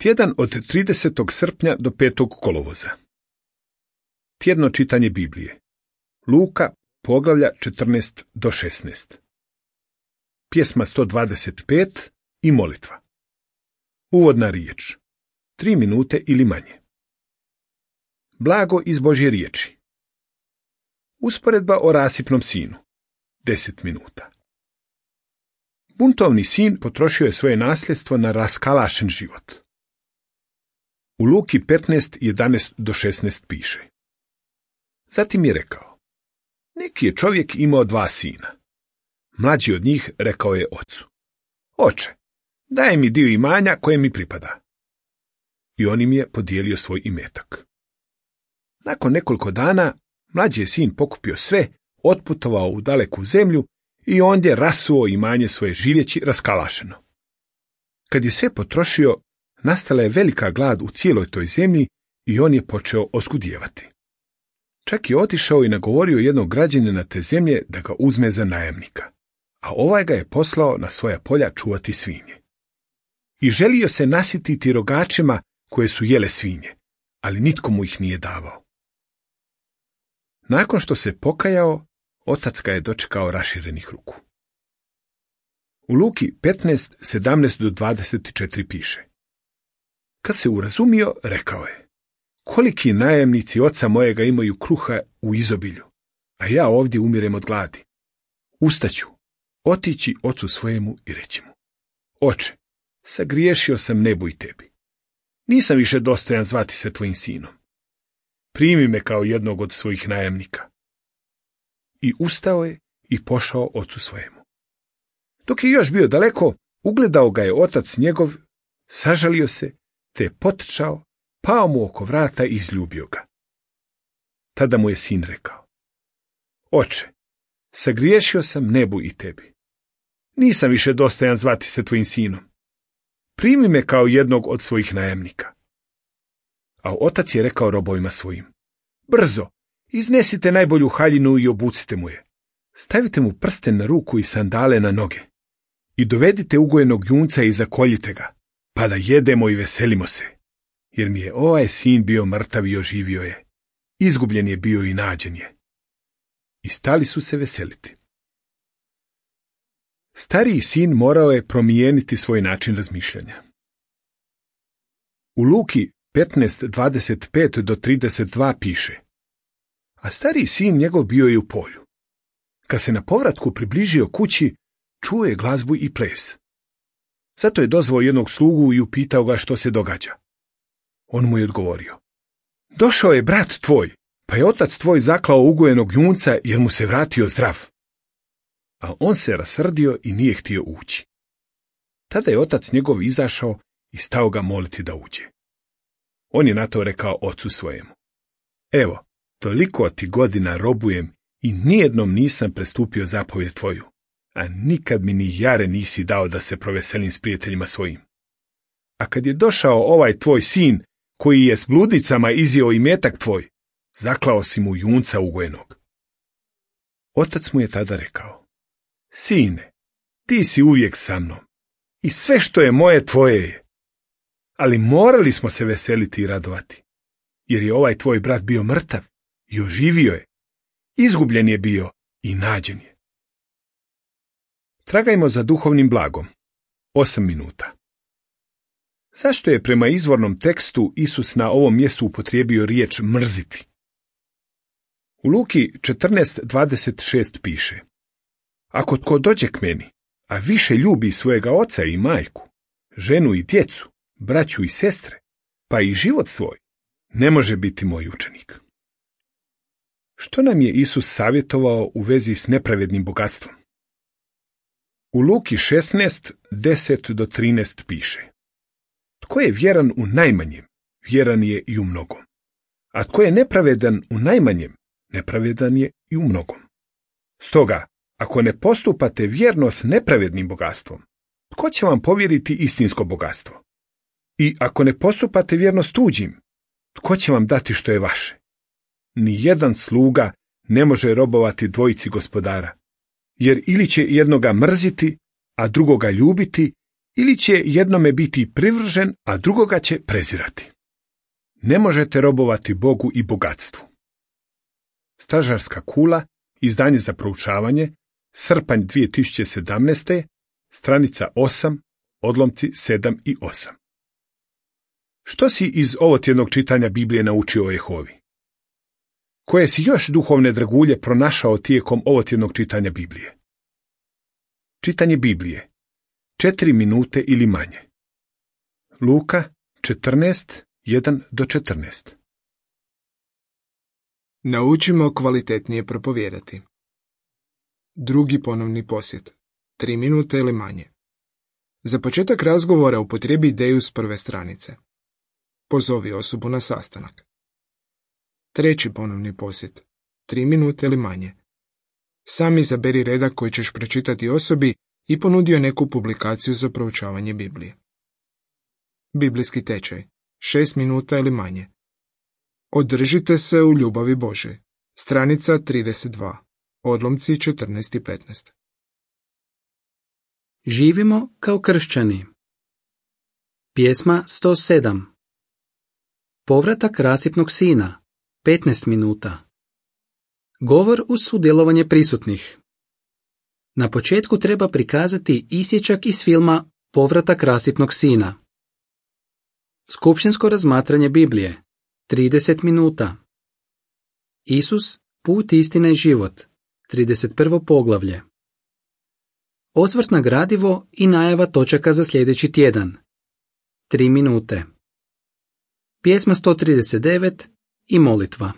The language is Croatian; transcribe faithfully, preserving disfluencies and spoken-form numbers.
Tjedan od tridesetog srpnja do petog kolovoza. Tjedno čitanje Biblije. Luka, poglavlja četrnaest do šesnaest. Pjesma sto dvadeset pet i molitva. Uvodna riječ. Tri minute ili manje. Blago iz Božje riječi. Usporedba o rasipnom sinu. Deset minuta. Buntovni sin potrošio je svoje nasljedstvo na raskalašen život. U Luki petnaest, jedanaest do šesnaest piše. Zatim je rekao, neki je čovjek imao dva sina. Mlađi od njih rekao je ocu, oče, daj mi dio imanja koje mi pripada. I on im je podijelio svoj imetak. Nakon nekoliko dana, mlađi je sin pokupio sve, otputovao u daleku zemlju i ondje rasuo imanje svoje živjeći raskalašeno. Kad je sve potrošio, nastala je velika glad u cijeloj toj zemlji i on je počeo oskudijevati. Čak je otišao i nagovorio jednog građanina te zemlje da ga uzme za najamnika, a ovaj ga je poslao na svoja polja čuvati svinje. I želio se nasititi rogačima koje su jele svinje, ali nitko mu ih nije davao. Nakon što se pokajao, otac ga je dočekao raširenih ruku. U Luki petnaest, sedamnaest do dvadeset četiri piše. Kad se urazumio, rekao je, koliki najamnici oca mojega imaju kruha u izobilju, a ja ovdje umirem od gladi. Ustaću, otići ocu svojemu i reći mu, oče, sagriješio sam nebu i tebi. Nisam više dostojan zvati se tvojim sinom. Primi me kao jednog od svojih najamnika. I ustao je i pošao ocu svojemu. Dok je još bio daleko, ugledao ga je otac njegov, sažalio se, te je potrčao, pao mu oko vrata i izljubio ga. Tada mu je sin rekao, oče, sagriješio sam nebu i tebi. Nisam više dostojan zvati se tvojim sinom. Primi me kao jednog od svojih najamnika. A otac je rekao robovima svojim, brzo, iznesite najbolju haljinu i obucite mu je. Stavite mu prsten na ruku i sandale na noge. I dovedite ugojenog junca i zakoljite ga, pa da jedemo i veselimo se. Jer mi je ovaj sin bio mrtav i oživio je. Izgubljen je bio i nađen je. I stali su se veseliti. Stariji sin morao je promijeniti svoj način razmišljanja. U Luki petnaest, dvadeset pet do trideset dva piše. A stariji sin njegov bio je u polju. Kad se na povratku približio kući, čuo je glazbu i ples. Zato je dozvao jednog slugu i upitao ga što se događa. On mu je odgovorio, došao je brat tvoj, pa je otac tvoj zaklao ugojenog junca jer mu se vratio zdrav. A on se rasrdio i nije htio ući. Tada je otac njegov izašao i stao ga moliti da uđe. On je na to rekao ocu svojemu, evo, toliko ti godina robujem i nijednom nisam prestupio zapovjed tvoju, a nikad mi ni jare nisi dao da se proveselim s prijateljima svojim. A kad je došao ovaj tvoj sin, koji je s bludnicama izjeo imetak tvoj, zaklao si mu junca ugojenog. Otac mu je tada rekao, sine, ti si uvijek sa mnom i sve što je moje tvoje je. Ali morali smo se veseliti i radovati, jer je ovaj tvoj brat bio mrtav i oživio je, izgubljen je bio i nađen je. Tragajmo za duhovnim blagom. Osam minuta. Zašto je prema izvornom tekstu Isus na ovom mjestu upotrijebio riječ mrziti? U Luki četrnaest, dvadeset šest piše. Ako tko dođe k meni, a više ljubi svojega oca i majku, ženu i djecu, braću i sestre, pa i život svoj, ne može biti moj učenik. Što nam je Isus savjetovao u vezi s nepravednim bogatstvom? U Luki šesnaest, deset do trinaest piše. Tko je vjeran u najmanjem, vjeran je i u mnogom. A tko je nepravedan u najmanjem, nepravedan je i u mnogom. Stoga, ako ne postupate vjerno s nepravednim bogatstvom, tko će vam povjeriti istinsko bogatstvo? I ako ne postupate vjerno s tuđim, tko će vam dati što je vaše? Ni jedan sluga ne može robovati dvojici gospodara, jer ili će jednoga mrziti, a drugoga ljubiti, ili će jednome biti privržen, a drugoga će prezirati. Ne možete robovati Bogu i bogatstvu. Stražarska kula, izdanje za proučavanje, srpanj dvije tisuće sedamnaeste. stranica osam, odlomci sedam i osam. Što si iz ovotjednog čitanja Biblije naučio o Jehovi? Koje si još duhovne dragulje pronašao tijekom ovotjednog čitanja Biblije? Čitanje Biblije. Četiri minute ili manje. Luka četrnaest, jedan do četrnaest. Naučimo kvalitetnije propovijedati. Drugi ponovni posjet. Tri minute ili manje. Za početak razgovora upotrijebi ideju s prve stranice. Pozovi osobu na sastanak. Treći ponovni posjet. Tri minute ili manje. Sam izaberi redak koji ćeš pročitati osobi i ponudio neku publikaciju za proučavanje Biblije. Biblijski tečaj. Šest minuta ili manje. Održite se u ljubavi Božoj. Stranica trideset dva. Odlomci četrnaest i petnaest. Živimo kao kršćani. Pjesma sto sedam. Povratak rasipnog sina. petnaest minuta. Govor uz sudjelovanje prisutnih. Na početku treba prikazati isječak iz filma Povratak rasipnog sina. Skupštinsko razmatranje Biblije. trideset minuta. Isus, put, istina i život. trideset prvo poglavlje. Osvrt na gradivo i najava točaka za sljedeći tjedan. tri minute. Pjesma sto trideset devet i molitva.